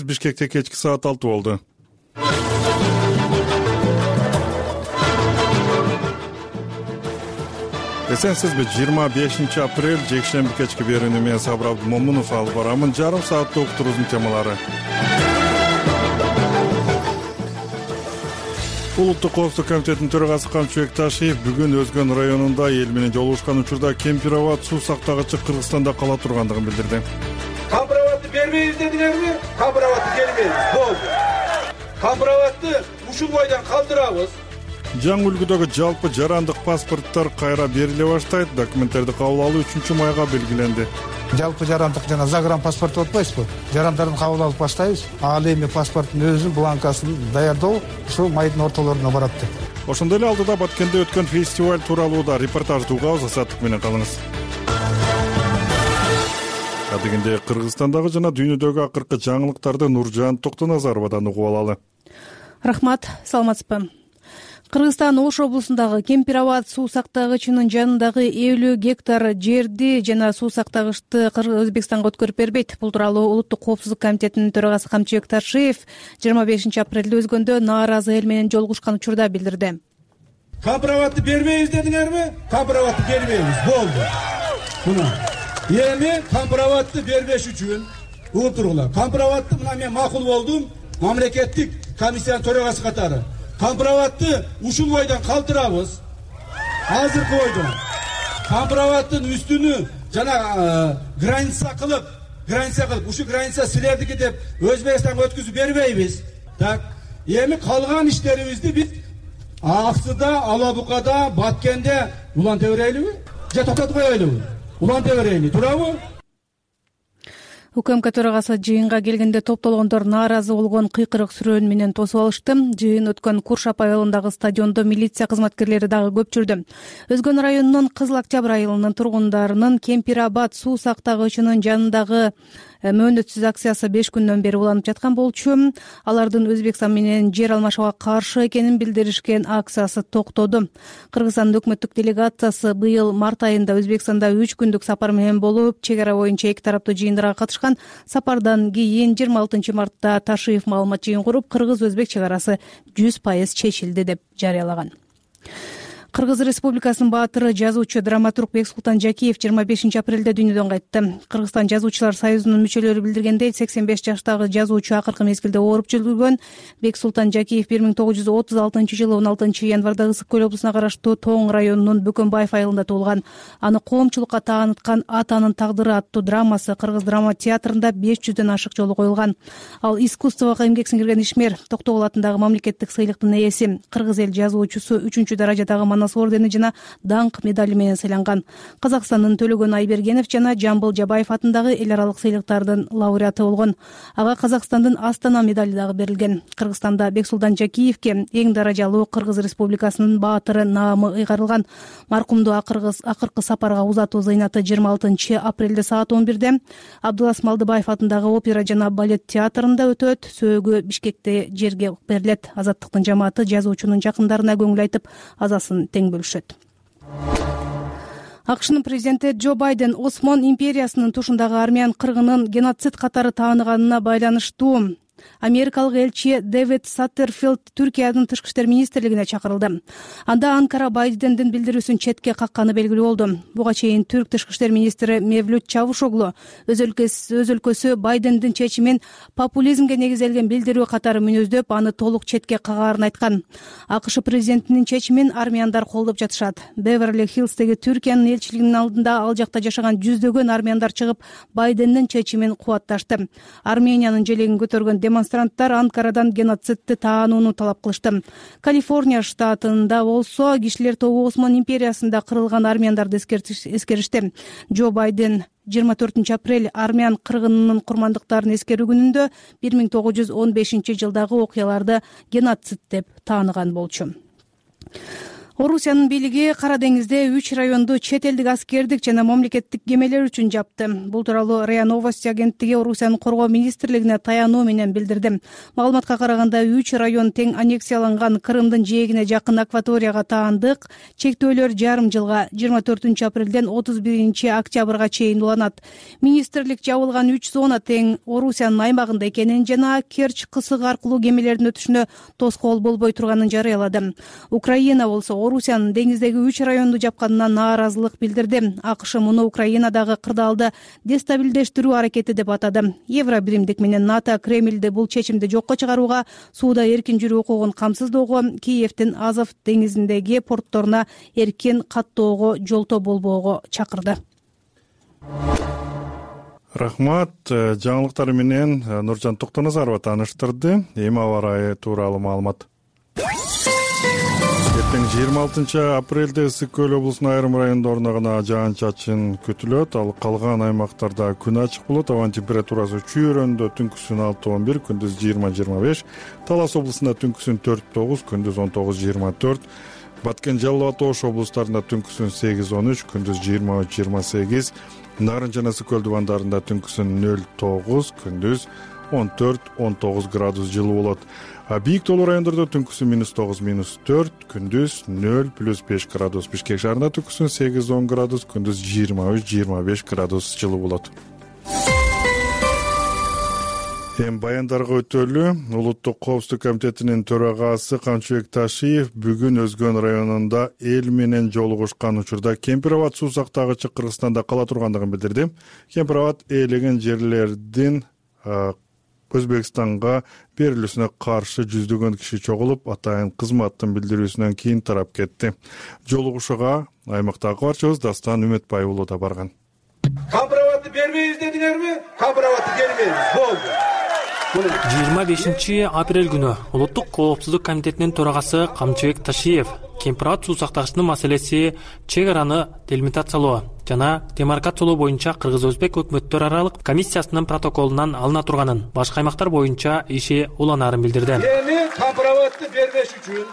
Бишкекте кечки саат 6 болду. Эсенсизби? 25 апрель жекшемби кечки берүүнү мен Сабыр Абдымомунов алып барамын. Жарым сааттык уктуруубуздун темалары. Улуттук коопсуздук комитетинин төрагасы Камчыбек Ташиев бүгүн Өзгөн районунда эл менен жолугушкан учурда Кемпироват суу сактагычы Кыргызстанда кала тургандыгын билдирди. Компроватты бербейбиз дедиңерби? Компроватты бербейбиз. Болду. Компроватты ушул бойдон калтырабыз. Жаңы үлгүдөгү жалпы жарандык паспорттор кайра бериле баштайт. Документтерди кабыл алуу 3 майга белгиленди. Жалпы жарандык жана загран паспорт болбойбузбу? Жарандарын кабыл алып баштайбыз. Ал эми паспорттун өзүнүн бланкасын даярдоо ушул майдын ортолоруна барат деп. Ошондой эле алдыда Баткенде өткөн фестиваль тууралуу да репортажды угабыз. Азаттык менен калыңыз. Адегенде Кыргызстандагы жана дүйнөдөгү акыркы жаңылыктарды Нуржан Токтоназаровадан угуп алалы. Рахмат, саламатсызбы? Кыргызстан Ош облусундагы Кемпироват суу сактагычынын жанындагы 50 гектар жерди жана суу сактагычты Өзбекстанга өткөрүп бербейт. Бул тууралуу Улуттук коопсуздук комитетинин төрагасы Камчыбек Ташиев 25 апрелде Өзгөндө нааразы эл менен жолугушкан учурда билдирди. Компроватты бербейбиз дедиңерби? Компроватты бербейбиз. Болду. Мына эми компроватты бербеш үчүн угуп тургула. Компроватты мына мен макул болдум. Мамлекеттик комиссиянын төрагасы катары. Компроватты ушул бойдон калтырабыз. Азыркы бойдон. Компроваттын үстүнү жана граница кылып ушу граница силердики деп Өзбекстанга өткүзүп бербейбиз. Так, эми калган иштерибизди биз Аксыда, Алабукада, Баткенде уланта берелиби? Же токтотуп коелуби? Уланта берели, туурабы? УКМК төрагасы жыйынга келгенде топтолгондор нааразы болгон кыйкырык сүрөөн менен тосуп алышты. Жыйын өткөн Куршап айылындагы стадиондо милиция кызматкерлери дагы көп жүрдү. Өзгөн районунун Кызыл Октябрь айылынын тургундарынын Кемпироват суу сактагычынын жанындагы мөөнөтсүз акциясы 5 күндөн бери уланып жаткан болчу. Алардын Өзбекстан менен жер алмашууга каршы экенин билдиришкен акциясы токтоду. Кыргызстандын өкмөттүк делегациясы быйыл март айында Өзбекстанда 3 күндүк сапар менен болуп, чек ара боюнча эки тараптуу жыйындарга катышкан. Сапардан кийин 26 мартта Ташиев маалымат жыйын куруп, кыргыз-өзбек чек арасы 100% чечилди деп жарыялаган. Кыргыз Республикасынын баатыры, жазуучу, драматург Бексултан Жакиев 25 апрелде дүйнөдөн кайтты. Кыргызстан жазуучулар союзунун мүчөлөрү билдиргендей, 85 жаштагы жазуучу акыркы мезгилде ооруп жүргөн. Бексултан Жакиев 1936 жылы 16 январда Ысык көл облусуна караштуу Тоң районунун Бөкөнбаев айылында туулган. Аны коомчулукка тааныткан Атанын тагдыры аттуу драмасы Кыргыз драма театрында 500дөн ашык жолу коюлган. Ал искусствого эмгек сиңирген ишмер, Токтогул атындагы мамлекеттик сыйлыктын ээси, Кыргыз эл жазуучусу 3-даражадагы Манас ордени жана даңк медали менен сыйланган. Казакстандын Төлөгөн Айбергенов жана Жамбыл Жабаев атындагы эл аралык сыйлыктардын лауреаты болгон. Ага Казакстандын Астана медали дагы берилген. Кыргызстанда Бексултан Жакиевке эң даражалуу Кыргыз Республикасынын баатыры наамы ыйгарылган. Маркумду акыркы сапарга узатуу зыйнаты 26 апрелде саат 11-де Абдулас Малдыбаев атындагы опера жана балет театрында өтөт. Сөөгү Бишкекте жерге берилет. Азаттыктын жамааты жазуучунун жакындарына көңүл айтып, азасын тең бөлүшөт. АКШнын президенти Джо Байден Осман империясынын тушундагы армян кыргынын геноцид катары тааныганына байланыштуу америкалык элчи Дэвид Саттерфилд Түркиянын тышкы иштер министрлигине чакырылды. Анда Анкара Байдендин билдирүүсүн четке какканы белгилүү болду. Буга чейин түрк тышкы иштер министри Мевлют Чавушоглу өз өлкөсү Байдендин чечимин популизмге негизделген билдирүү катары мүнөздөп, аны толук четке кагаарын айткан. АКШ президентинин чечимин армяндар колдоп жатышат. Беверли-Хиллздеги Түркиянын элчилигинин алдында ал жакта жашаган жүздөгөн армяндар чыгып, Байдендин чечимин кубатташты. Армениянын желегин көтөргөн демонстранттар Анкарадан геноцидти таанууну талап кылышты. Калифорния штатында болсо кишилер тобу Осман империясында кырылган армяндарды эскеришти. Джо Байден 24 апрель армян кыргынынын курмандыктарын эскерүү күнүндө 1915 жылдагы окуяларды геноцид деп тааныган болчу. Орусиянын бийлиги Кара деңизде 3 районду чет элдик аскердик жана мамлекеттик кемелер үчүн жапты. Бул тууралуу РИА Новости агенттиги Орусиянын коргоо министрлигине таянуу менен билдирди. Маалыматка караганда 3 район тең аннексияланган Крымдын жээгине жакын акваторияга таандык. Чектөөлөр жарым жылга 24 апрелден 31 октябрга чейин уланат. Министрлик жабылган 3 зона тең Орусиянын аймагында экенин жана Керчь кысыгы аркылуу кемелердин өтүшүнө тоскоол болбой турганын жарыялады. Украина болсо Орусиянын деңиздеги 3 районду жапканына нааразылык билдирди. АКШ муну Украинадагы кырдаалды дестабилдештирүү аракети деп атады. Евробиримдик менен НАТО Кремльди бул чечимди жокко чыгарууга, сууда эркин жүрүү укугун камсыздоого, Киевдин Азов деңизиндеги портторуна эркин каттоого жолтоо болбоого чакырды. Рахмат. Жаңылыктар менен Нуржан Токтоназарова тааныштырды. Эми аба ырайы тууралуу маалымат. Эртең 26 апрелде Ысык Көл облусунун айрым райондорунда гана жаан-чачын күтүлөт. Ал калган аймактарда күн ачык болот. Абанын температурасы чүйрөндө түнкүсүн 6-11, күндүз 20-25. Талас облусунда түнкүсүн 4-9, күндүз 19-24. Баткен, Жалал абад, Ош облустарында түнкүсүн 8-13, күндүз 23-28. Нарын жана Ысык Көл дубандарында түнкүсүн 0-9, күндүз 14-19 градус жылуу болот. Бийик тоолуу райондордо түнкүсүн -9, -4, күндүз 0+5 градус. Бишкек шаарында түнкүсүн 8-10 градус, күндүз 23-25 градус жылуу болот. Эми баяндарга өтөлү. Улуттук коопсуздук комитетинин төрагасы Камчыбек Ташиев бүгүн Өзгөн районунда эл менен жолугушкан учурда Кемпир абад суу сактагычы Кыргызстанда кала тургандыгын билдирди. Кемпир абад ээлеген жерлердин Өзбекстанга берилүүсүнө каршы жүздөгөн киши чогулуп, атайын кызматтын билдирүүсүнөн кийин тарап кетти. Жолугушууга аймактагы кабарчыбыз Дастан Үмөтбай уулу да барган. Кемпир абадты бербейбиз дедиңерби? Кемпир абадты бербейбиз. Болду. 25 апрель күнү Улуттук коопсуздук комитетинин төрагасы Камчыбек Ташиев Кемпир абад суу сактагычтын маселеси чек араны делимитациялоо жана демаркациялоо боюнча Кыргыз-Өзбек өкмөттөр аралык комиссиясынын протоколунан алына турганын, башка аймактар боюнча иши уланаарын билдирди. Эми Кемпир абадты бербеш үчүн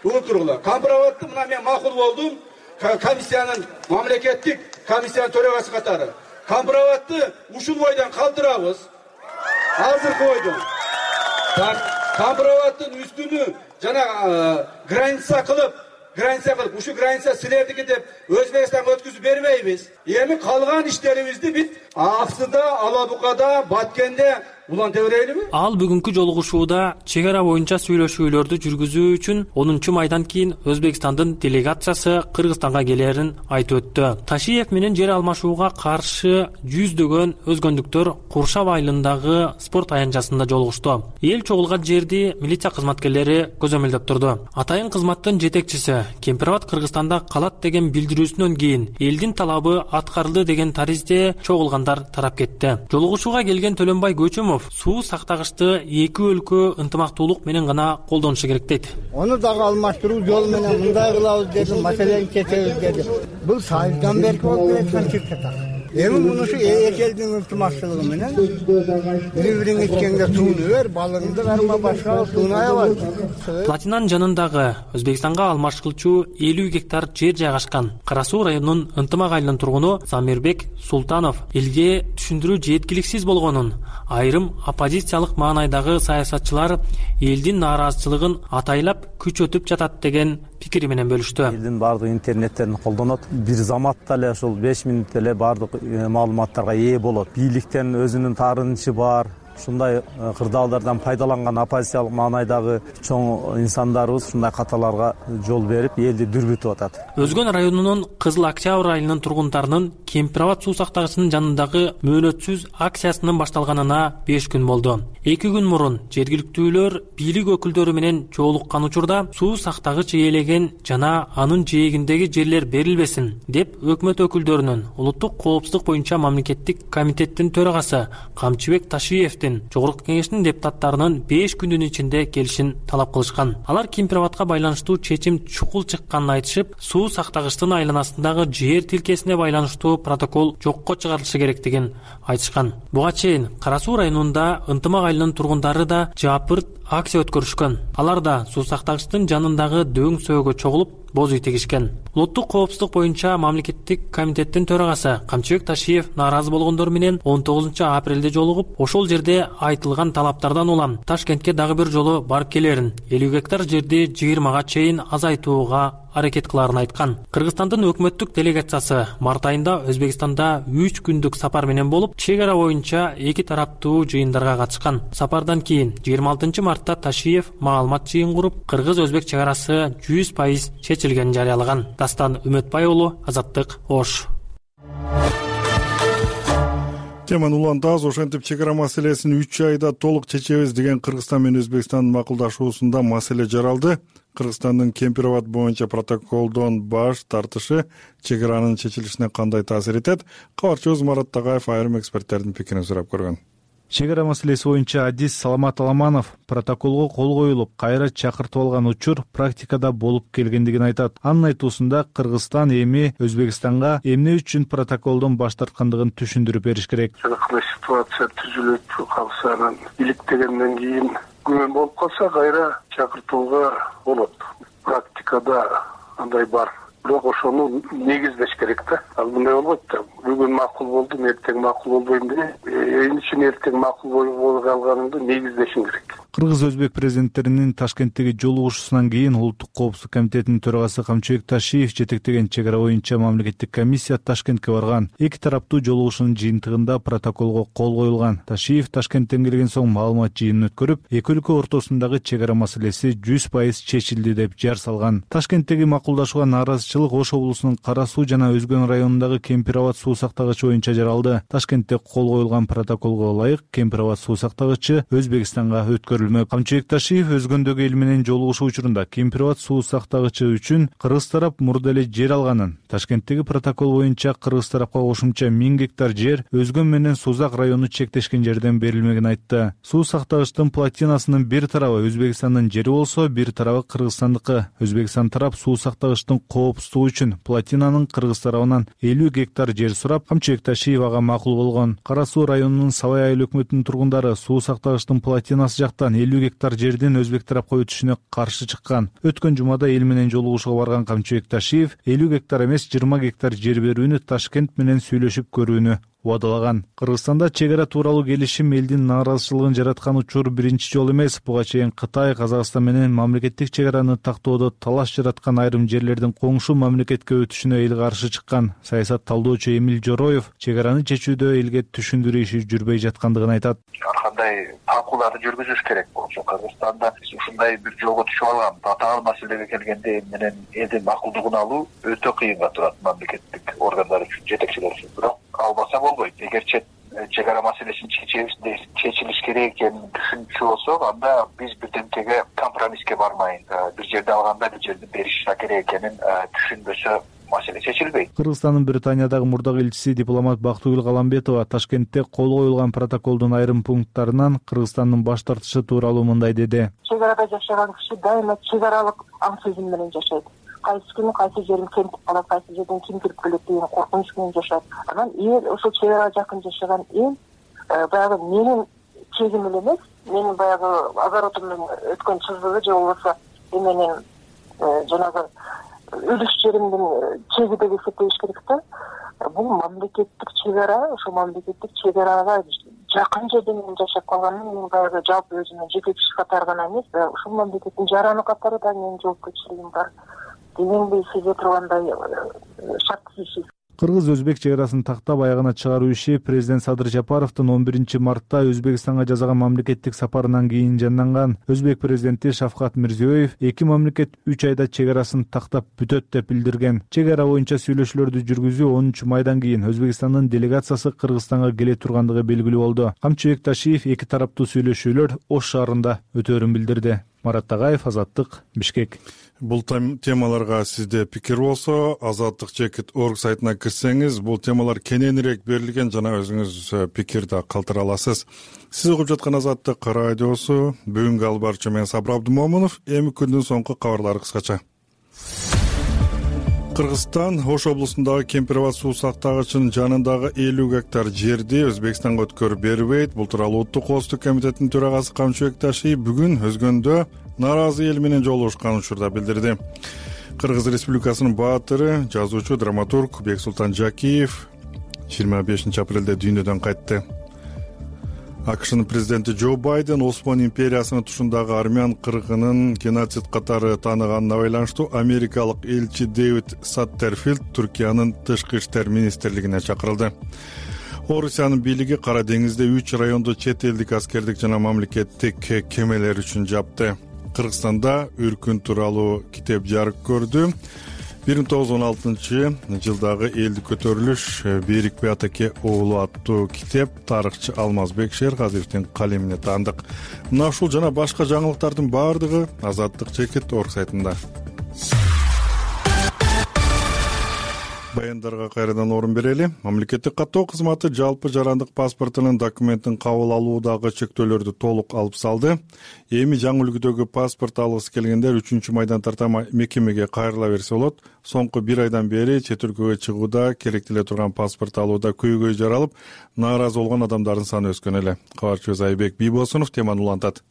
угутургула. Кемпир абадты мына мен макул болдум. Комиссиянын, мамлекеттик комиссиянын төрагасы катары. Кемпир абадты ушул бойдон калтырабыз. Азыркы бойдон. Кемпир абадтын үстүнү жана граница кылып ушу граница силердики деп Өзбекстанга өткүзүп бербейбиз. Эми калган иштерибизди бит Аксыда, Алабукада, Баткенде уланта берелиби? Ал бүгүнкү жолугушууда чек ара боюнча сүйлөшүүлөрдү жүргүзүү үчүн 10 майдан кийин Өзбекстандын делегациясы Кыргызстанга келерин айтып өттү. Ташиев менен жер алмашууга каршы жүздөгөн өзгөндүктөр Куршап айылындагы спорт аянтчасында жолугушту. Эл чогулган жерди милиция кызматкерлери көзөмөлдөп турду. Атайын кызматтын жетекчиси Кемпир абад Кыргызстанда калат деген билдирүүсүнөн кийин элдин талабы аткарылды деген таризде чогулгандар тарап кетти. Жолугушууга келген Төлөнбай Көчөмов суу сактагычты эки өлкө ынтымактуулук менен гана колдонушу керек дейт. Ону дагы алмаштыруу жолу менен мындай кылабыз деди, маселени чечебиз деди. Бул сайылдан берки болуп келаткан чиркет. Эми мунушу эки элдин ынтымактуулугу менен бири-бириңе ичкенге сууну бер, балыңды карма, башка сууну аябай. Платинанын жанындагы Өзбекстанга алмашкылчу 50 гектар жер жайгашкан Кара Суу районунун Ынтымак айылынын тургуну Замирбек Султанов элге түшүндүрүү жеткиликсиз болгонун, айрым оппозициялык маанайдагы саясатчылар элдин нааразычылыгын атайлап күч өтүп жатат деген пикири менен бөлүштү. Элдин баардык интернеттерин колдонот. Бир заматта эле ушул 5 мүнөттө эле баардык маалыматтарга ээ болот. Бийликтен өзүнүн таарынычы бар. Ушундай кырдаалдардан пайдаланган оппозициялык маанайдагы чоң инсандарыбыз ушундай каталарга жол берип, элди дүрбүтүп атат. Өзгөн районунун Кызыл Октябрь айылынын тургундарынын Кемпир абад суу сактагычынын жанындагы мөөнөтсүз акциясынын башталганына 5 күн болду. 2 күн мурун жергиликтүүлөр бийлик өкүлдөрү менен жолуккан учурда суу сактагыч ээлеген жана анын жээгиндеги жерлер берилбесин деп өкмөт өкүлдөрүнүн Улуттук коопсуздук боюнча мамлекеттик комитеттин төрагасы Камчыбек Ташиев Жогорку кеңештин депутаттарынын 5 күндүн ичинде келишин талап кылышкан. Алар Кемпир абадка байланыштуу чечим чукул чыкканын айтышып, суу сактагычтын айланасындагы жер тилкесине байланыштуу протокол жокко чыгарылышы керектигин айтышкан. Буга чейин Кара Суу районунда Ынтымак айылынын тургундары да жапырт акция өткөрүшкөн. Алар да суу сактагычтын жанындагы дөң сөөгө чогулуп боз үй тегишкен. Улуттук коопсуздук боюнча мамлекеттик комитеттин төрагасы Камчыбек Ташиев нааразы болгондор менен 19 апрелде жолугуп, ошол жерде айтылган талаптардан улам Ташкентке дагы бир жолу барып келерин, 50 гектар жерди 20га чейин азайтууга аракет кыларын айткан. Кыргызстандын өкмөттүк делегациясы март айында Өзбекстанда 3 күндүк сапар менен болуп, чек ара боюнча эки тараптуу жыйындарга катышкан. Сапардан кийин 26 мартта Ташиев маалымат жыйын куруп, кыргыз-өзбек чек арасы 100% чечилгенин жарыялаган. Дастан Үмөтбай уулу, Азаттык, Ош. Теманы улантабыз. Ошентип чек ара маселесин 3 айда толук чечебиз деген Кыргызстан менен Өзбекстандын макулдашуусунда маселе жаралды. Кыргызстандын Кемпир-Абад боюнча протоколдон баш тартышы чек аранын чечилишине кандай таасир этет? Кабарчыбыз Марат Тагаев айрым эксперттердин пикирин сурап көргөн. Чек ара маселеси боюнча адис Саламат Аламанов протоколго кол коюлуп, кайра чакыртып алган учур практикада болуп келгендигин айтат. Анын айтуусунда Кыргызстан эми Өзбекстанга эмне үчүн протоколдон баш тарткандыгын түшүндүрүп бериш керек. Кандай ситуация түзүлүп калса, анан иликтегенден кийин күмөн болуп калса, кайра чакыртууга болот. Практикада андай бар. Бирок ошону негиздеш керек да. Ал мындай болбойт да. Бүгүн макул болду, эртең макул болбойм деп, ичин эртең макул болуп калганыңды негиздешиң керек. Кыргыз-өзбек президенттеринин Ташкенттеги жолугушуусунан кийин Улуттук коопсуздук комитетинин төрагасы Камчыбек Ташиев жетектеген чек ара боюнча мамлекеттик комиссия Ташкентке барган. Эки тараптуу жолугушуунун жыйынтыгында протоколго кол коюлган. Ташиев Ташкенттен келген соң маалымат жыйынын өткөрүп, эки өлкө ортосундагы чек ара маселеси 100% чечилди деп жар салган. Ташкенттеги макулдашууга нааразычылык Ош облусунун Кара Суу жана Өзгөн районундагы Кемпир-Абад суу сактагычы боюнча жаралды. Ташкентте кол коюлган протоколго ылайык Кемпир-Абад суу сактагычы Өзбекстанга өткөрүлмөк. Камчыбек Ташиев өзгөндөгү эл менен жолугушуу учурунда Кемпир-Абад суу сактагычы үчүн кыргыз тарап мурда эле жер алганын, Ташкенттеги протокол боюнча кыргыз тарапка кошумча 1000 гектар жер Өзгөн менен Сузак району чектешкен жерден берилмегин айтты. Суу сактагычтын плотинасынын бир тарабы Өзбекстандын жери болсо, бир тарабы Кыргызстандыкы. Өзбекстан тарап суу сактагычтын коопсуздугу үчүн плотинанын кыргыз тарабынан 50 гектар жер сурап, Камчыбек Ташиев ага макул болгон. Кара Суу районунун Сабай айыл өкмөтүнүн тургундары суу сактагычтын плотинасы жактан 50 гектар жердин өзбек тарапка өтүшүнө каршы чыккан. Өткөн жумада эл менен жолугушууга барган Камчыбек Ташиев 50 гектар эмес 20 гектар жер берүүнү Ташкент менен сүйлөшүп көрүүнү убадалаган. Кыргызстанда чек ара тууралуу келишим элдин нааразычылыгын жараткан учур биринчи жолу эмес. Буга чейин Кытай, Казакстан менен мамлекеттик чек араны тактоодо талаш жараткан айрым жерлердин коңшу мамлекетке өтүшүнө эл каршы чыккан. Саясат талдоочу Эмил Жороев чек араны чечүүдө элге түшүндүрүү иши жүрбөй жаткандыгын айтат. Ар кандай талкууларды жүргүзүш керек болчу. Кыргызстанда ушундай бир жолго түшүп алган татаал маселеге келгенде эл менен элдин макулдугун алуу өтө кыйынга турат мамлекеттик органдар үчүн, жетекчилер үчүн. Бирок албаса болбойт. Эгер чек ара маселесин чечилиш керек экенин түшүнчү болсок, анда биз бирдемкеге компромисске бармай, бир жерди алганда бир жерди бериш керек экенин түшүнбөсө маселе чечилбейт. Кыргызстандын Британиядагы мурдагы элчиси дипломат Бактыгүл Каламбетова Ташкентте кол коюлган протоколдун айрым пункттарынан Кыргызстандын баш тартышы тууралуу мындай деди. Чек арада жашаган киши дайыма чек аралык аң сезим менен жашайт. Кайсы күнү кайсы жерин кемтип калат, кайсы жерден ким кирип келет деген коркунуч менен жашайт. Анан эл ошол чек арага жакын жашаган эл баягы менин чегим эле эмес, менин баягы огородумдун өткөн чызыгы же болбосо менин жанагы үлүш жеримдин чеги деп эсептеш керек да. Бул мамлекеттик чек ара, ошол мамлекеттик чек арага жакын жерден жашап калганын мен баягы жалпы өзүмдүн жеке киши катары гана эмес, ушул мамлекеттин жараны катары да менин жоопкерчилигим бар дегенди сезе тургандай шарттуу иши. Кыргыз-өзбек чек арасын тактап аягына чыгаруу иши президент Садыр Жапаровдун 11 мартта Өзбекстанга жасаган мамлекеттик сапарынан кийин жанданган. Өзбек президенти Шавкат Мирзиёев эки мамлекет 3 айда чек арасын тактап бүтөт деп билдирген. Чек ара боюнча сүйлөшүүлөрдү жүргүзүү 10 майдан кийин Өзбекстандын делегациясы Кыргызстанга келе тургандыгы белгилүү болду. Камчыбек Ташиев эки тараптуу сүйлөшүүлөр Ош шаарында өтөөрүн билдирди. Марат Тагаев, Азаттык, Бишкек. Бул темаларга сизде пикир болсо, azattik.org сайтына кирсеңиз, бул темалар кененирээк берилген жана өзүңүз пикирди калтыра аласыз. Сиз угуп жаткан Азаттык радиосу. Бүгүнкү алып баруучу мен Сабыр Абдымомунов. Эми күндүн соңку кабарлары кыскача. Кыргызстан Ош облусундагы Кемпирабад суу сактагычынын жанындагы 50 гектар жерди Өзбекстанга өткөрүп бербейт. Бул тууралуу Улуттук коопсуздук комитетинин төрагасы Камчыбек Ташиев бүгүн Өзгөндө нааразы эл менен жолугушкан учурда билдирди. Кыргыз Республикасынын баатыры, жазуучу, драматург Бексултан Жакиев 25 апрелде дүйнөдөн кайтты. АКШнын президенти Джо Байден Осман империясынын тушундагы армян кыргынын геноцид катары тааныганына байланыштуу америкалык элчи Дэвид Саттерфилд Түркиянын тышкы иштер министрлигине чакырылды. Орусиянын бийлиги Кара деңизде 3 райондо чет элдик аскердик жана мамлекеттик кемелер үчүн жапты. Кыргызстанда үркүн тууралуу китеп жарык көрдү. 1916 жылдагы элдик көтөрүлүш Берик Биатеке уулу аттуу китеп тарыхчы Алмазбек Шерказиевдин калемине таандык. Мына ушул жана башка жаңылыктардын баардыгы Азаттык.org сайтында. Баяндарга кайрадан орун берели. Мамлекеттик каттоо кызматы жалпы жарандык паспортунун документин кабыл алуудагы чектөөлөрдү толук алып салды. Эми жаңы үлгүдөгү паспорт алгысы келгендер 3-майдан тарта мекемеге кайрыла берсе болот. Соңку 1 айдан бери чет өлкөгө чыгууда керектеле турган паспорт алууда көйгөй жаралып, нааразы болгон адамдардын саны өскөн эле. Кабарчыбыз Айбек Бийбосунов теманы улантат.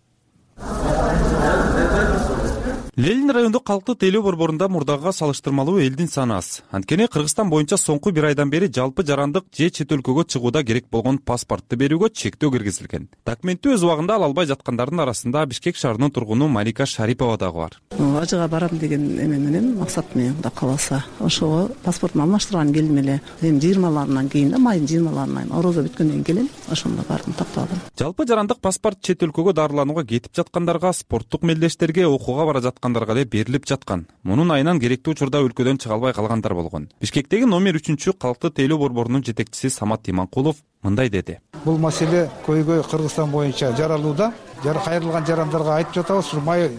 Ленин райондук калктык тейлөө борборунда мурдагыга салыштырмалуу элдин саны аз. Анткени Кыргызстан боюнча соңку 1 айдан бери жалпы жарандык же чет өлкөгө чыгууда керек болгон паспортду берүүгө чектөө киргизилген. Документти өз убагында ала албай жаткандардын арасында Бишкек шаарынын тургуну Малика Шарипова дагы бар. Ажыга барам деген эме менен, максат менен Кудай кааласа, ошого паспортумду алмаштырган келдим эле. Эми 20-ларынан кийин да, майдын 20-ларынан орозо бүткөндөн кийин ошондо бардым, такталдым. Жалпы жарандык паспорт чет өлкөгө дарыланууга кетип жаткандарга, спорттук мелдештерге, окууга бара жаткандарга эле берилип жаткан. Мунун айынан керектүү учурда өлкөдөн чыга албай калгандар болгон. Бишкектеги номер 3 калктык тейлөө борборунун жетекчиси Самат Иманкулов мындай деди. Бул маселе көйгөй Кыргызстан боюнча жаралууда. Кайрылган жарандарга айтып жатабыз,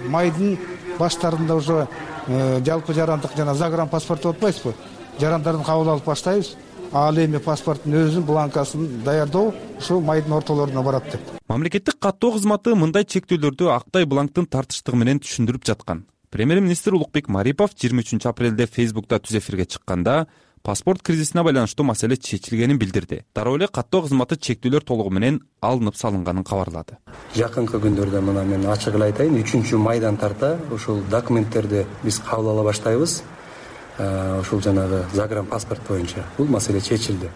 майдын баштарында уже жалпы жарандык жана загранпаспорт деп атпайсызбы? Жарандардын кабыл алып баштайбыз. Ал эми паспорттун өзүнүн бланкасын даярдоо ушул майдын ортолоруна барат деп. Мамлекеттик каттоо кызматы мындай чектөөлөрдү актай бланктын тартыштыгы менен түшүндүрүп жаткан. Премьер-министр Улукбек Марипов 23 апрелде Facebook'та түз эфирге чыкканда паспорт кризисине байланыштуу маселе чечилгенин билдирди. Дароо эле каттоо кызматы чектөөлөр толугу менен алынып салынганын кабарлады. Жакынкы күндөрдө мына мен ачык эле айтайын, 3-майдан тарта ушул документтерди биз кабыл ала баштайбыз. Ушул жанагы загранпаспорт боюнча бул маселе чечилди.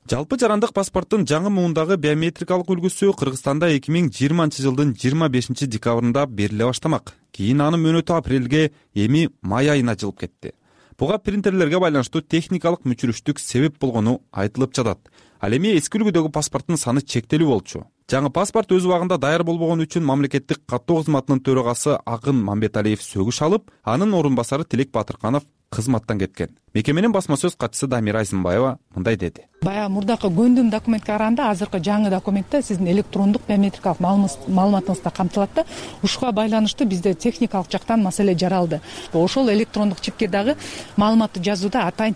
Жалпы жарандык паспорттун жаңы муундагы биометрикалык үлгүсү Кыргызстанда 2020 жылдын 25 декабрында бериле баштамак. Кийин анын мөөнөтү апрелге, эми май айына жылып кетти. Буга принтерлерге байланыштуу техникалык мүчүрүштүк себеп болгону айтылып жатат. Ал эми эски үлгүдөгү паспорттун саны чектелүү болчу. Жаңы паспорт өз убагында даяр болбогон үчүн мамлекеттик каттоо кызматынын төрагасы Акын Мамбеталиев сөгүш алып, анын орун басары Тилек Батырканов кызматтан кеткен. Мекеменин басма сөз катчысы Дамира Айзымбаева мындай деди. Баягы мурдакы көндүм документке караганда азыркы жаңы документте сиздин электрондук биометрикалык маалыматыңызда камтылат да, ушуга байланыштуу бизде техникалык жактан маселе жаралды. Ошол электрондук чипке дагы маалыматты жазууда атайын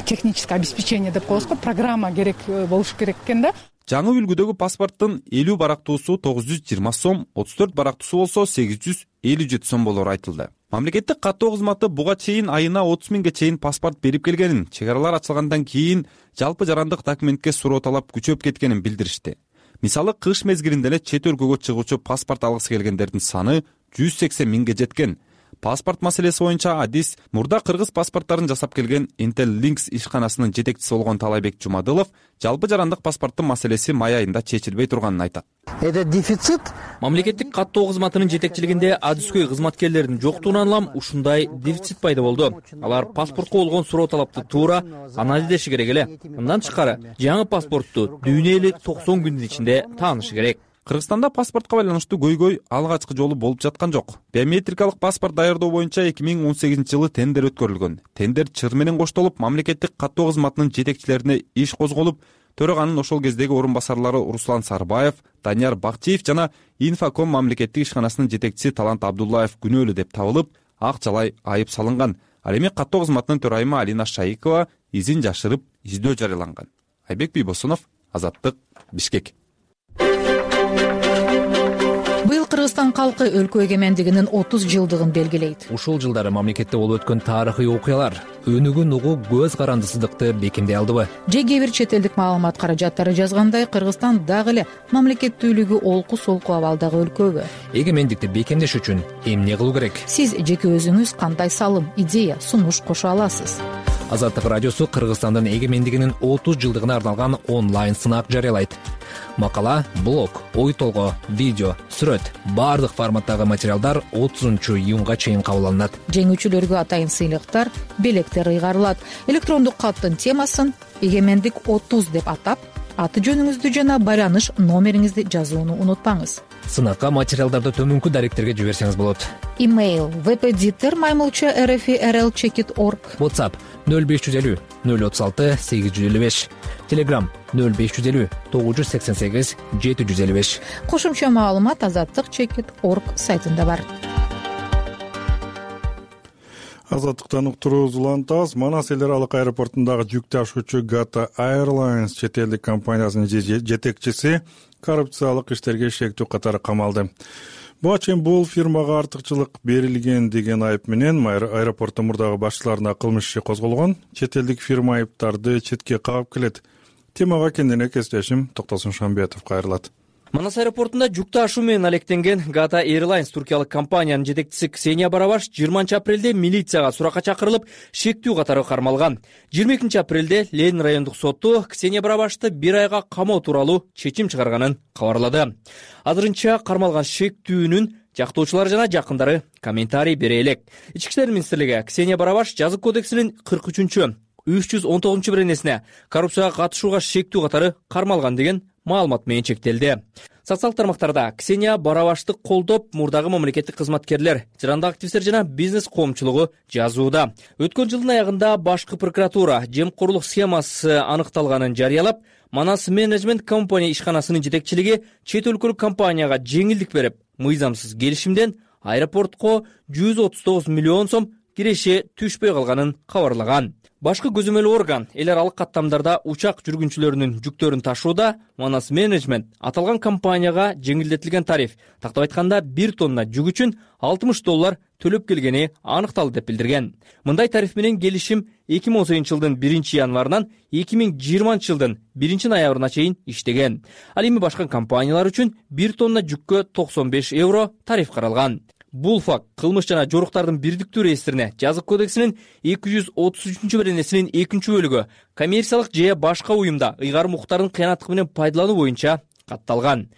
техническое обеспечение деп коебузго, программа керек болуш керек экен да. Жаңы үлгүдөгү паспорттун 50 барактуусу 920 сом, 34 барактуусу болсо 857 сом болор айтылды. Мамлекеттик каттоо кызматы буга чейин айына 30 миңге чейин паспорт берип келгенин, чек аралар ачылгандан кийин жалпы жарандык документке суроо талап күчөп кеткенин билдиришти. Мисалы, кыш мезгилинде эле чет өлкөгө чыгуучу паспорт алгысы келгендердин саны 180 миңге жеткен. Паспорт маселеси боюнча адис мурда кыргыз паспорттарын жасап келген Intel Links ишканасынын жетекчиси болгон Талайбек Жумадылов жалпы жарандык паспорттун маселеси май айында чечилбей турганын айтат. Это дефицит. Мамлекеттик каттоо кызматынын жетекчилигинде адискөй кызматкерлердин жоктугунан улам ушундай дефицит пайда болду. Алар паспортко болгон суроо талапты туура анан издеши керек эле. Мындан тышкары жаңы паспортту дүйнө эли 90 күндүн ичинде таанышы керек. Кыргызстанда паспортко байланыштуу көйгөй алгачкы жолу болуп жаткан жок. Биометрикалык паспорт даярдоо боюнча 2018 жылы тендер өткөрүлгөн. Тендер чыр менен коштолуп, мамлекеттик каттоо кызматынын жетекчилерине иш козголуп, төраганын ошол кездеги орун басарлары Руслан Сарбаев, Данияр Бакчиев жана Инфоком мамлекеттик ишканасынын жетекчиси Талант Абдуллаев күнөөлүү деп табылып, ак жалай айып салынган. Ал эми каттоо кызматынын төрайымы Алина Шайыкова изин жашырып, издөө жарыяланган. Айбек Бийбосунов, Азаттык, Бишкек. Быйыл Кыргызстан калкы өлкө эгемендигинин 30 жылдыгын белгилейт. Ушул жылдары мамлекетте болуп өткөн тарыхый окуялар өнүгүүн угуу көз карандысыздыкты бекемдей алдыбы? Же кээ бир чет элдик маалымат каражаттары жазгандай, Кыргызстан дагы эле мамлекеттүүлүгү олку-солку абалдагы өлкөбү? Эгемендикти бекемдеш үчүн эмне кылуу керек? Сиз жеке өзүңүз кандай салым, идея, сунуш кошо аласыз? Азаттык радиосу Кыргызстандын эгемендигинин 30 жылдыгына арналган онлайн сынак жарыялайт. Макала, блог, ой толгоо, видео, сүрөт баардык форматтагы материалдар 30-июнга чейин кабыл алынат. Жеңүүчүлөргө атайын сыйлыктар, белектер ыйгарылат. Электрондук каттын темасын «Эгемендик 30» деп атап, аты жөнүңүздү жана байланыш номериңизди жазууну унутпаңыз. Сынакка материалдарды төмөнкү даректерге жиберсеңиз болот. Имейл vpditter@rl-checkit.org. WhatsApp 0550 036 855. Telegram 0550 988 755. Кошумча маалымат azattik.checkit.org сайтында бар. Азаттыктан уктуруубуз улантабыз. Манас эл аралык аэропортундагы жүк ташуучу Gata Airlines чет элдик компаниясынын жетекчиси коррупциялык иштерге шектүү катары камалды. Буга чейин бул фирмага артыкчылык берилген деген айып менен аэропорттун мурдагы башчыларына кылмыш иши козголгон. Чет элдик фирма айыптарды четке кагып келет. Темага кененирээк кесиптешим Токтосун Шамбетов кайрылат. Манас аэропортунда жүк ташуу менен алектенген Gata Airlines туркиялык компаниянын жетекчиси Ксения Барабаш 20 апрелде милицияга суракка чакырылып, шектүү катары кармалган. 22 апрелде Ленин райондук соту Ксения Барабашты 1 айга камоо тууралуу чечим чыгарганын кабарлады. Азырынча кармалган шектүүнүн жактоочулары жана жакындары комментарий бере элек. Ички иштер министрлиги Ксения Барабаш жазык кодексинин 43-319 беренесине коррупцияга катышууга шектүү катары кармалган деген маалымат менен чектелди. Социалдык тармактарда Ксения Барабашты колдоп, мурдагы мамлекеттик кызматкерлер, жарандык активисттер жана бизнес коомчулугу жазууда. Өткөн жылдын аягында башкы прокуратура жемкорлук схемасы аныкталганын жарыялап, Манас менеджмент компания ишканасынын жетекчилиги чет өлкөлүк компанияга жеңилдик берип, мыйзамсыз келишимден аэропортко 139 миллион сом киреше түшпөй калганын кабарлаган. Башкы көзөмөл орган эл аралык каттамдарда учак жүргүнчүлөрүнүн жүктөрүн ташууда Манас менеджмент аталган компанияга жеңилдетилген тариф, тактап айтканда 1 тонна жүк үчүн $60 төлөп келгени аныкталды деп билдирген. Мындай тариф менен келишим 2018 жылдын 1 январынан 2020 жылдын 1 ноябрына чейин иштеген. Ал эми башка компаниялар үчүн 1 тонна жүккө €95 тариф каралган. Бул факт кылмыш жана жоруктардын бирдиктүү реестрине жазык кодексинин 233 беренесинин 2 бөлүгү коммерциялык же башка уюмда ыйгарым укуктарын кыянаттык менен пайдалануу боюнча катталган.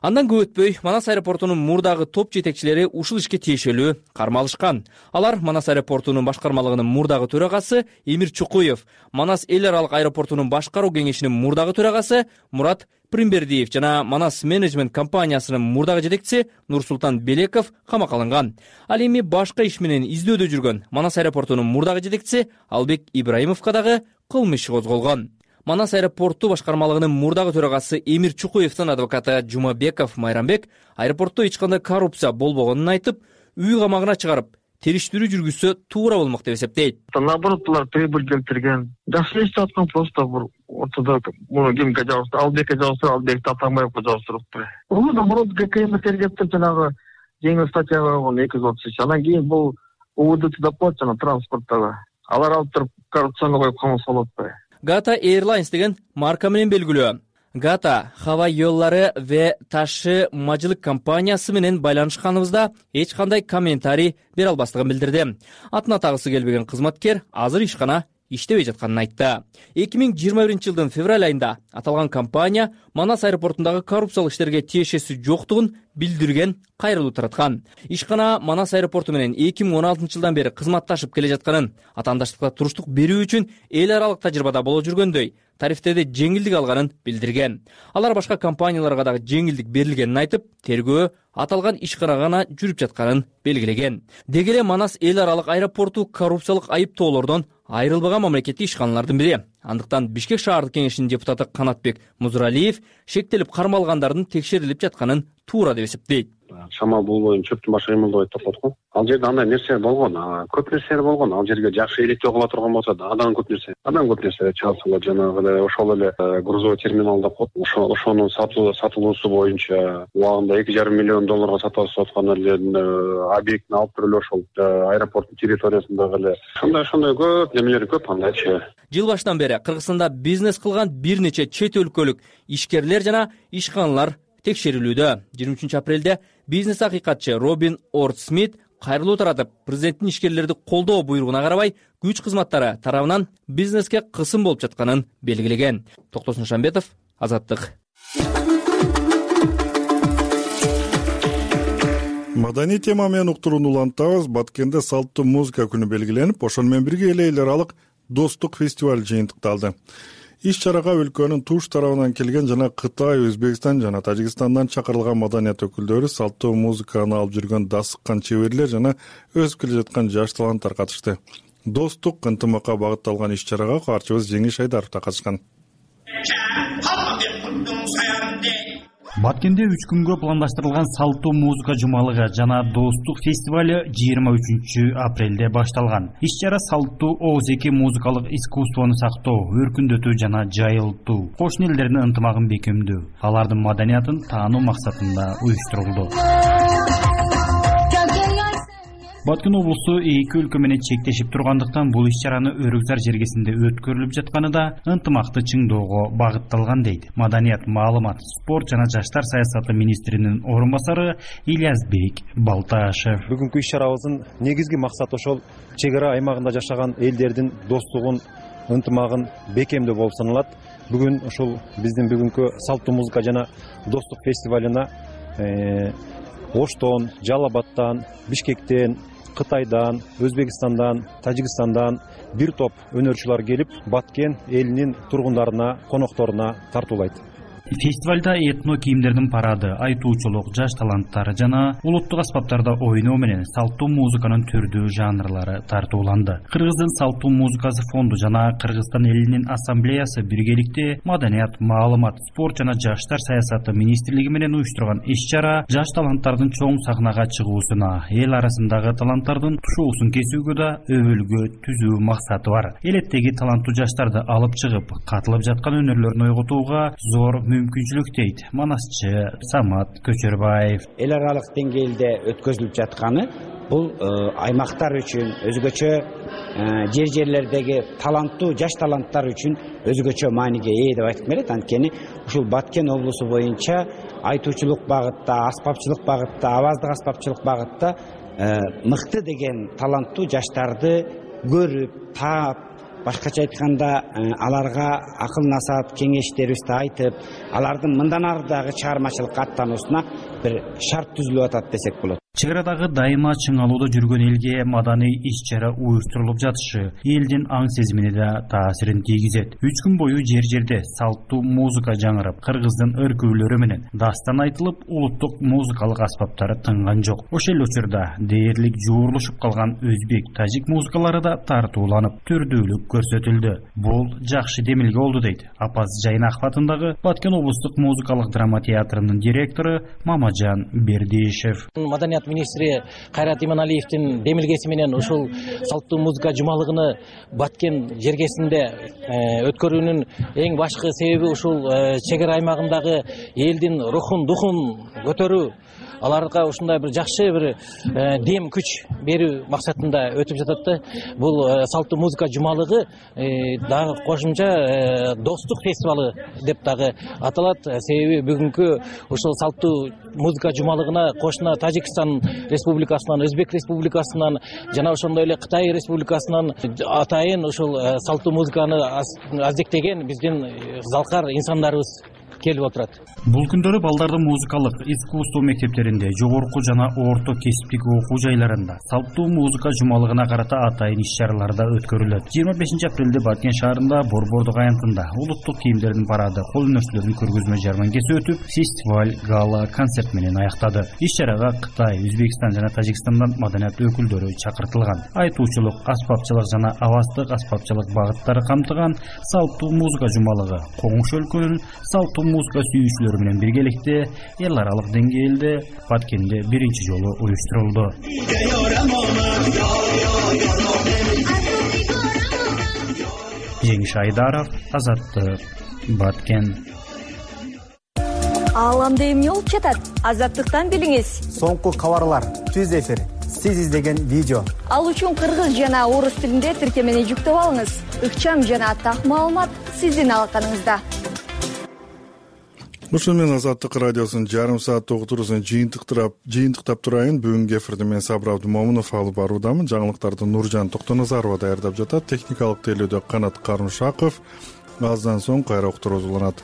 Андан көп өтпөй Манас аэропортунун мурдагы топ жетекчилери ушул ишке тиешелүү кармалышкан. Алар Манас аэропортунун башкармалыгынын мурдагы төрагасы Эмир Чукуев, Манас эл аралык аэропортунун башкаруу кеңешинин мурдагы төрагасы Мурат Примбердиев жана Манас менеджмент компаниясынын мурдагы жетекчиси Нурсултан Белеков камакка алынган. Ал эми башка иш менен издөөдө жүргөн Манас аэропортунун мурдагы жетекчиси Албек Ибраимовго дагы кылмыш иши козголгон. Манас аэропорту башкармалыгынын мурдагы төрагасы Эмир Чукуевдин адвокаты Жумабеков Майрамбек аэропортто эч кандай коррупция болбогонун айтып, үй камагына чыгарып, териштирүү жүргүзсө туура болмок деп эсептейт. Наоборот, булар прибыль келтирген. Жакшы иштеп аткан, просто бир ортодо муну кимге жабыштырып, Албекке жабыштырып, Албекти Атамбаевге жабыштырыптыр. Бул наоборот ГКМ тергептир жанагы жеңил статья койгон 233. Анан кийин бул УВД деп коет жана транспорттагы. Алар алып туруп коррупцияны коюп камаса болот да. Gata Airlines деген марка менен белгилүү. Gata Hava Yollары ve Taşı Macılık компаниясы менен байланышканыбызда эч кандай комментарий бере албастыгын билдирди. Атына тагысы келбеген кызматкер азыр ишкана иштебей жатканын айтты. 2021 жылдын февраль айында аталган компания Манас аэропортундагы коррупциялык иштерге тиешеси жоктугун билдирген кайрылуу тараткан. Ишкана Манас аэропорту менен 2016 жылдан бери кызматташып келе жатканын, атаандаштыкка туруштук берүү үчүн эл аралык тажрыйбада боло жүргөндөй тарифтерде жеңилдик алганын билдирген. Алар башка компанияларга дагы жеңилдик берилгенин айтып, тергөө аталган ишкана гана жүрүп жатканын белгилеген. Деги эле Манас эл аралык аэропорту коррупциялык айыптоолордон айрылбаган мамлекеттик ишканалардын бири. Андыктан Бишкек шаардык кеңешинин депутаты Канатбек Музуралиев шектелип кармалгандардын текшерилип жатканын туура деп эсептейт. шамал болбой чөптүн башы кыймылдабайт деп коет го. Ал жерде андай нерсе болгон, көп нерселер болгон. Ал жерге жакшы электөө кыла турган болсо да адам көп нерсе чалсалар, жанагы эле ошол эле грузовой терминал деп коет. Ошонун сатылуусу боюнча убагында $2,5 миллион сатып аткан эле объектни алып туруп эле ошол аэропорттун территориясындагы эле ошондой көп немелер көп андайчы. Жыл башынан бери Кыргызстанда бизнес кылган бир нече чет өлкөлүк ишкерлер жана ишканалар текшерилүүдө. 23 апрелде бизнес акыйкатчы Робин Орд Смит кайрылуу таратып, президенттин ишкерлерди колдоо буйругуна карабай күч кызматтары тарабынан бизнеске кысым болуп жатканын белгилеген. Токтосун Шамбетов, Азаттык. Маданий тема менен уктурууну улантабыз. Баткенде салттуу музыка күнү белгиленип, ошол менен бирге эл аралык достук фестиваль жыйынтыкталды. Иш-чарага өлкөнүн туш тарабынан келген жана Кытай, Өзбекстан жана Тажикстандан чакырылган маданият өкүлдөрү, салттуу музыканы алып жүргөн дасыккан чеберлер жана өсүп келе жаткан жаш таланттар катышты. Достук, ынтымакка багытталган иш-чарага каарчыбыз Жеңиш Айдаров да катышкан. Баткенде 3 күнгө пландаштырылган салттуу музыка жумалыгы жана достук фестиваль 23 апрелде башталган. Иш-чара салттуу оозеки музыкалык искусствону сактоо, өркүндөтүү жана жайылтуу, кошуна элдердин ынтымагын бекемдөө, алардын маданиятын таануу максатында уюштурулду. Баткен облусу эки өлкө менен чектешип тургандыктан бул иш-чараны Өрүкзар жергесинде өткөрүлүп жатканы да ынтымакты чыңдоого багытталган дейт маданият, маалымат, спорт жана жаштар саясаты министринин орун басары Ильязбек Балташев. Бүгүнкү иш-чарабыздын негизги максаты ошол чек ара аймагында жашаган элдердин достугун, ынтымагын бекемдөө болуп саналат. Бүгүн ошол биздин бүгүнкү салттуу музыка жана достук фестивалына Оштон, Жалал Абадтан, Бишкектен, Кытайдан, Өзбекстандан, Тажикстандан бир топ өнөрчүлөр келип, Баткен элинин тургундарына, конокторуна тартуулайт. Фестивалда этно кийимдердин парады, айтуучулук, жаш таланттар жана улуттук аспаптарда ойноо менен салттуу музыканын түрдүү жанрлары тартууланды. Кыргыздын салттуу музыкасы фонду жана Кыргызстан элинин ассамблеясы биргеликте маданият, маалымат, спорт жана жаштар саясаты министрлиги менен уюштурган иш-чара жаш таланттардын чоң сахнага чыгуусуна, эл арасындагы таланттардын тушуусун кесүүгө да өбөлгө түзүү максаты бар. Элеттеги таланттуу жаштарды алып чыгып, катылып жаткан өнөрлөрүн ойготууга зор мүмкүнчүлүк дейт манасчы Самат Көчөрбаев. Эл аралык деңгээлде өткөзүлүп жатканы бул аймактар үчүн өзгөчө жерлердеги таланттуу жаш таланттар үчүн өзгөчө мааниге ээ деп айтып келет. Анткени ушул Баткен облусу боюнча айтуучулук багытта, аспапчылык багытта, аваздык аспапчылык багытта мыкты деген таланттуу жаштарды көрүп, таап, башкача айтканда аларга акыл насаат кеңештерибизди айтып, алардын мындан ары дагы чыгармачылыкка аттануусуна бир шарт түзүлүп атат десек болот. Чек арадагы дайыма чыңалууда жүргөн элге маданий иш-чара уюштурулуп жатышы элдин аң сезимине да таасирин тийгизет. 3 күн бою жер-жерде салттуу музыка жаңырып, Кыргыздын өркүүлөрү менен дастан айтылып, улуттук музыкалык аспаптары тынган жок. Ошол учурда дээрлик жуурулушуп калган өзбек, тажик музыкалары да тартууланып, түрдүүлүк көрсөтүлдү. Бул жакшы демилге болду дейт Апаз Жайнаков атындагы Баткен облустук музыкалык драма театрынын директору Мамажан Бердишев. Маданият министри Кайрат Иманалиевдин демилгеси менен ушул салттуу музыка жумалыгыны Баткен жергесинде өткөрүүнүн эң башкы себеби ушул чек ара аймагындагы элдин рухун, духун көтөрүү, аларга ушундай бир жакшы бир дем күч берүү максатында өтүп жатат да. Бул салттуу музыка жумалыгы дагы кошумча достук фестивалы деп дагы аталат. Себеби бүгүнкү ушул салттуу музыка жумалыгына кошуна Тажикстан республикасынан, Өзбек республикасынан жана ошондой эле Кытай республикасынан атайын ушул салттуу музыканы аздектеген биздин залкар инсандарыбыз келип отурат. Бул күндөрү балдардын музыкалык искусство мектептеринде, жогорку жана орто кесиптик окуу жайларында салттуу музыка жумалыгына карата атайын иш-чаралар да өткөрүлөт. 25 апрелде Баткен шаарында Борбордук аянтында улуттук кийимдердин парады, кол өнөрчүлөрдүн көргөзмө жәрмеңкеси өтүп, фестиваль, гала, концерт менен аяктады. Иш-чарага Кытай, Өзбекстан жана Тажикстандан маданият өкүлдөрү чакыртылган. Айтуучулук, аспапчылык жана аваздык аспапчылык багыттары камтыган салттуу музыка жумалыгы коңуш өлкөнүн салттуу салттуу музыка сүйүүчүлөрү менен биргеликте эл аралык деңгээлде Баткенде биринчи жолу уюштурулду. Жеңиш Айдаров, Азаттык, Баткен. Ааламда эмне болуп жатат? Азаттыктан билиңиз. Соңку кабарлар, түз эфир, сиз издеген видео. Ал үчүн кыргыз жана орус тилинде тиркемени жүктөп алыңыз. Ыкчам жана так маалымат сиздин алаканыңызда. Ушун менен Азаттык радиосунун жарым сааттык уктуруусун жыйынтыктап турайын. Бүгүнкү эфирди мен Сабыр Абдымомунов алып баруудамын. Жаңылыктарды Нуржан Токтоназарова даярдап жатат. Техникалык тейлөөдө Канат Карымшаков. Аздан соң кайра уктуруу уланат.